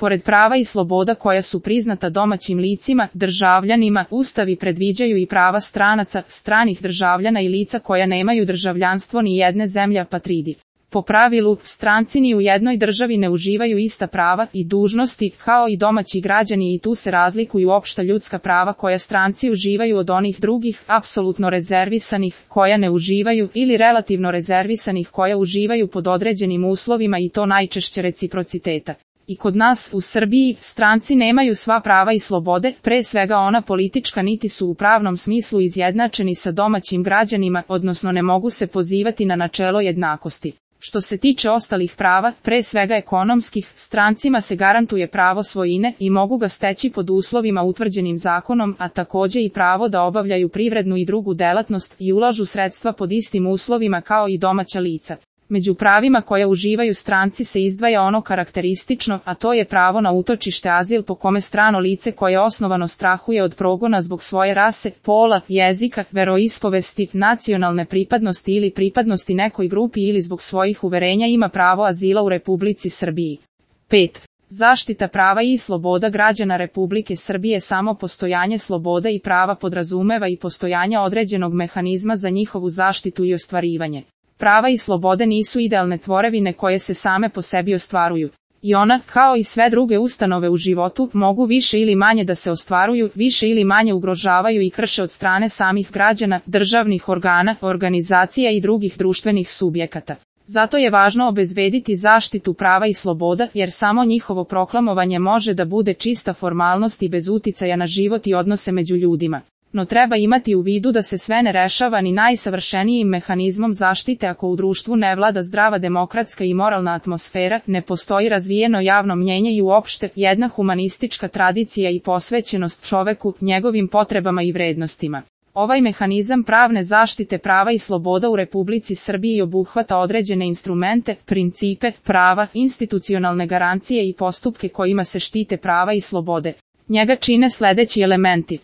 Pored prava i sloboda koja su priznata domaćim licima, državljanima, ustavi predviđaju i prava stranaca, stranih državljana i lica koja nemaju državljanstvo ni jedne zemlje apatridi. Po pravilu, stranci ni u jednoj državi ne uživaju ista prava i dužnosti, kao i domaći građani, i tu se razlikuju opšta ljudska prava koja stranci uživaju od onih drugih, apsolutno rezervisanih, koja ne uživaju, ili relativno rezervisanih koja uživaju pod određenim uslovima, i to najčešće reciprociteta. I kod nas, u Srbiji, stranci nemaju sva prava i slobode, pre svega ona politička, niti su u pravnom smislu izjednačeni sa domaćim građanima, odnosno ne mogu se pozivati na načelo jednakosti. Što se tiče ostalih prava, pre svega ekonomskih, strancima se garantuje pravo svojine i mogu ga steći pod uslovima utvrđenim zakonom, a takođe i pravo da obavljaju privrednu i drugu delatnost i ulažu sredstva pod istim uslovima kao i domaća lica. Među pravima koja uživaju stranci se izdvaja ono karakteristično, a to je pravo na utočište, azil, po kome strano lice koje osnovano strahuje od progona zbog svoje rase, pola, jezika, veroispovesti, nacionalne pripadnosti ili pripadnosti nekoj grupi ili zbog svojih uverenja ima pravo azila u Republici Srbiji. 5. Zaštita prava i sloboda građana Republike Srbije. Samo postojanje sloboda i prava podrazumeva i postojanje određenog mehanizma za njihovu zaštitu i ostvarivanje. Prava i slobode nisu idealne tvorevine koje se same po sebi ostvaruju. I ona, kao i sve druge ustanove u životu, mogu više ili manje da se ostvaruju, više ili manje ugrožavaju i krše od strane samih građana, državnih organa, organizacija i drugih društvenih subjekata. Zato je važno obezbediti zaštitu prava i sloboda, jer samo njihovo proklamovanje može da bude čista formalnost i bez uticaja na život i odnose među ljudima. No treba imati u vidu da se sve ne rešava ni najsavršenijim mehanizmom zaštite ako u društvu ne vlada zdrava demokratska i moralna atmosfera, ne postoji razvijeno javno mnjenje i uopšte jedna humanistička tradicija i posvećenost čoveku, njegovim potrebama i vrednostima. Ovaj mehanizam pravne zaštite prava i sloboda u Republici Srbiji obuhvata određene instrumente, principe, prava, institucionalne garancije i postupke kojima se štite prava i slobode. Njega čine sledeći elementi.